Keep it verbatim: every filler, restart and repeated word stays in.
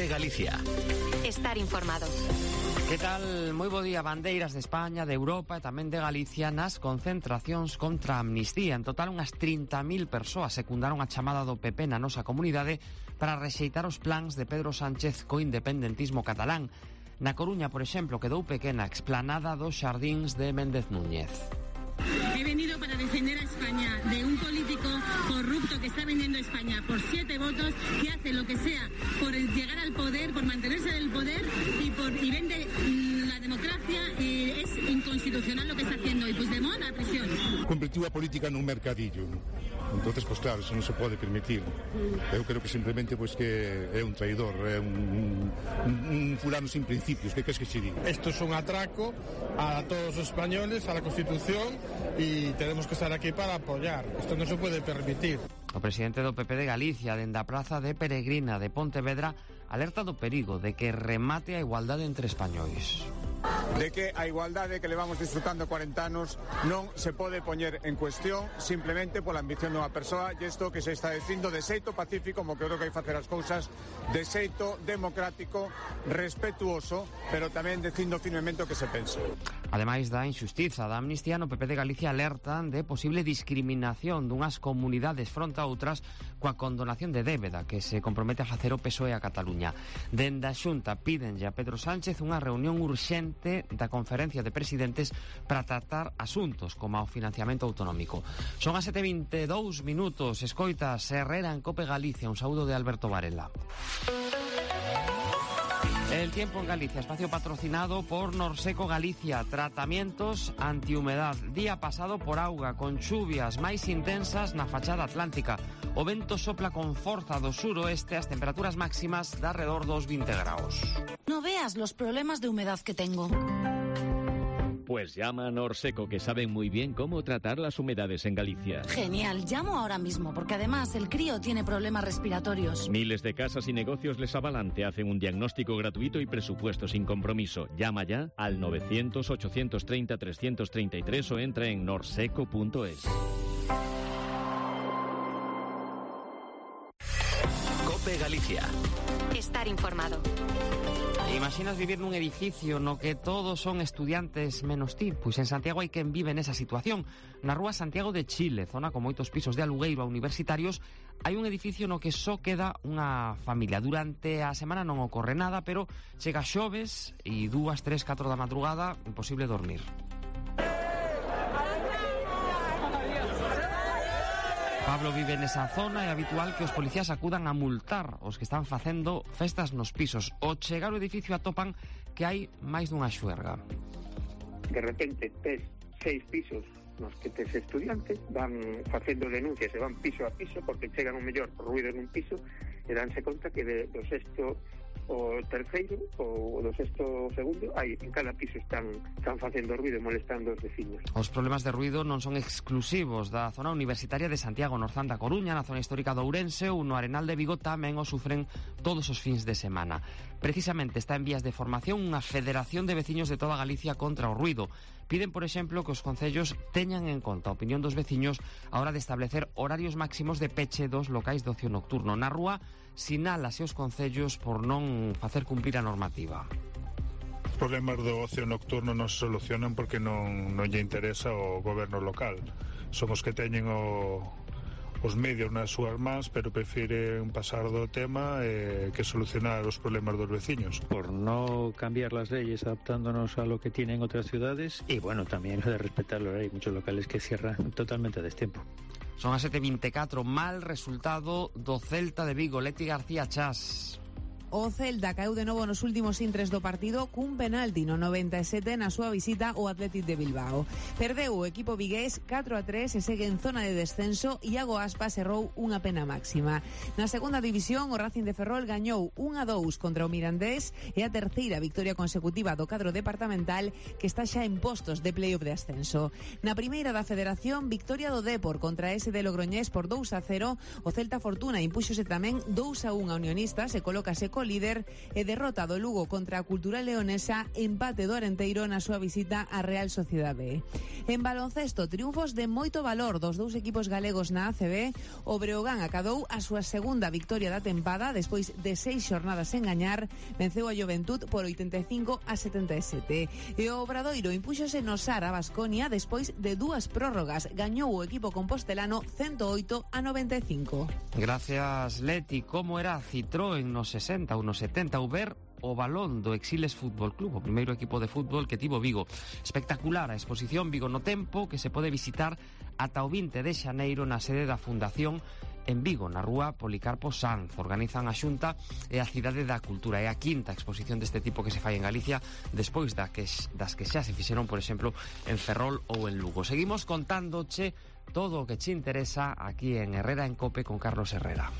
COPE Galicia. Estar informado. Que tal? Moi bo día. Bandeiras de España, de Europa e tamén de Galicia nas concentracións contra a amnistía. En total, unhas trinta mil persoas secundaron a chamada do P P na nosa comunidade para rexeitar os plans de Pedro Sánchez co independentismo catalán. Na Coruña, por exemplo, quedou pequena a explanada dos xardíns de Méndez Núñez. He venido para defender a España de un político corrupto que está vendiendo España por siete votos, que hace lo que sea por llegar al poder, por mantenerse en el poder y, por, y vende mmm, la democracia. Y es inconstitucional lo que está haciendo. Y Puigdemont a prisión. Convirtió a política nun mercadillo. Entonces, pues claro, eso non se pode permitir. Eu creo que simplemente pues que é un traidor, é un, un, un fulano sin principios. Que queres que se diga? Esto es un atraco a todos los españoles, a la Constitución, y tenemos que estar aquí para apoyar. Esto no se puede permitir. O presidente do P P de Galicia, dende a praza de Peregrina de Pontevedra, alerta do perigo de que remate a igualdade entre españois. De que a igualdade que levamos disfrutando cuarenta anos non se pode poñer en cuestión simplemente pola ambición dunha persoa, e isto que se está dicindo de xeito pacífico, como que creo que hai facer as cousas, de xeito democrático, respetuoso, pero tamén dicindo firmemente o que se pensa. Ademais da injustiza da amnistía, no P P de Galicia alertan de posible discriminación dunhas comunidades fronte a outras coa condonación de débeda que se compromete a facer o P S O E a Cataluña. Dende a Xunta pídenlle a Pedro Sánchez unha reunión urxente da Conferencia de Presidentes para tratar asuntos como o financiamento autonómico. Son as sete e vinte e dous minutos. Escoita Herrera en COPE Galicia. Un saúdo de Alberto Varela. El tiempo en Galicia, espacio patrocinado por Norseco Galicia. Tratamientos antihumedad. Día pasado por auga, con chuvias máis intensas na fachada atlántica. O vento sopla con forza do suroeste, as temperaturas máximas de alrededor dos veinte graus. No veas los problemas de humedad que tengo. Pues llama a Norseco, que saben muy bien cómo tratar las humedades en Galicia. Genial, llamo ahora mismo, porque además el crío tiene problemas respiratorios. Miles de casas y negocios les avalan, te hacen un diagnóstico gratuito y presupuesto sin compromiso. Llama ya al novecientos, ochocientos treinta, trescientos treinta y tres o entra en norseco punto es. COPE Galicia. Estar informado. Imaginas vivir nun edificio no que todos son estudiantes menos ti? Pois en Santiago hai quen vive nesa situación. Na rúa Santiago de Chile, zona con moitos pisos de alugueiro a universitarios, hai un edificio no que só queda unha familia. Durante a semana non ocorre nada, pero chega xoves e dúas, tres, catro da madrugada, imposible dormir. Pablo vive nesa zona e é habitual que os policías acudan a multar os que están facendo festas nos pisos. Ao chegar ao edificio atopan que hai máis dunha xuerga. De repente tes seis pisos nos que tes estudiantes, van facendo denuncias e van piso a piso porque chegan o mellor por ruido nun piso e danse conta que de, do sexto o terceiro ou do sexto segundo hai en cada piso están, están facendo ruido e molestando os veciños. Os problemas de ruido non son exclusivos da zona universitaria de Santiago, Norzán da Coruña, na zona histórica de Ourense ou no Arenal de Vigo tamén o sufren todos os fins de semana. Precisamente está en vías de formación unha federación de veciños de toda Galicia contra o ruido. Piden, por exemplo, que os concellos teñan en conta a opinión dos veciños a hora de establecer horarios máximos de peche dos locais de ocio nocturno. Na rúa, sinálase os concellos por non facer cumprir a normativa. Os problemas do ocio nocturno non se solucionan porque non, non lle interesa ao goberno local. Son os que teñen o, os medios nas súas mans, pero prefieren pasar do tema eh, que solucionar os problemas dos veciños. Por no cambiar las leyes adaptándonos a lo que tienen otras ciudades y bueno, también de respetarlo. Hay muchos locales que cierran totalmente a destiempo. Son as sete e vinte e catro, mal resultado do Celta de Vigo. Leti García Chas. O Celta caeu de novo nos últimos intres do partido cun penalti no noventa e sete na súa visita ao Athletic de Bilbao. Perdeu o equipo vigués catro a tres e segue en zona de descenso. Iago Aspas errou unha pena máxima. Na segunda división, o Racing de Ferrol gañou un a dous contra o Mirandés e a terceira victoria consecutiva do cadro departamental que está xa en postos de playoff de ascenso. Na primeira da Federación, victoria do Depor contra ese de Logroñés por dous a cero. O Celta Fortuna impúxose tamén dous a un a Unionistas e colócase co líder e derrota do Lugo contra a Cultural Leonesa, empate do Arenteiro na súa visita á Real Sociedade B. En baloncesto, triunfos de moito valor dos dous equipos galegos na A C B. O Breogán acadou a súa segunda victoria da tempada despois de seis xornadas sen gañar, venceu a Juventud por oitenta e cinco a setenta e sete. E o Obradoiro impúxose no Sar a Baskonia despois de dúas prórrogas. Gañou o equipo compostelano ciento oito a noventa e cinco. Gracias, Leti. Como era Citroën nos sesenta ou nos setenta, ou ver o balón do Exiles Fútbol Club, o primeiro equipo de fútbol que tivo Vigo. Espectacular a exposición Vigo no Tempo, que se pode visitar ata o vinte de xaneiro na sede da Fundación en Vigo, na rúa Policarpo Sanz. Organizan a Xunta e a Cidade da Cultura. É a quinta exposición deste tipo que se fai en Galicia, despois da que, das que xa se fixeron, por exemplo, en Ferrol ou en Lugo. Seguimos contándoche todo o que che interesa aquí en Herrera en Cope con Carlos Herrera.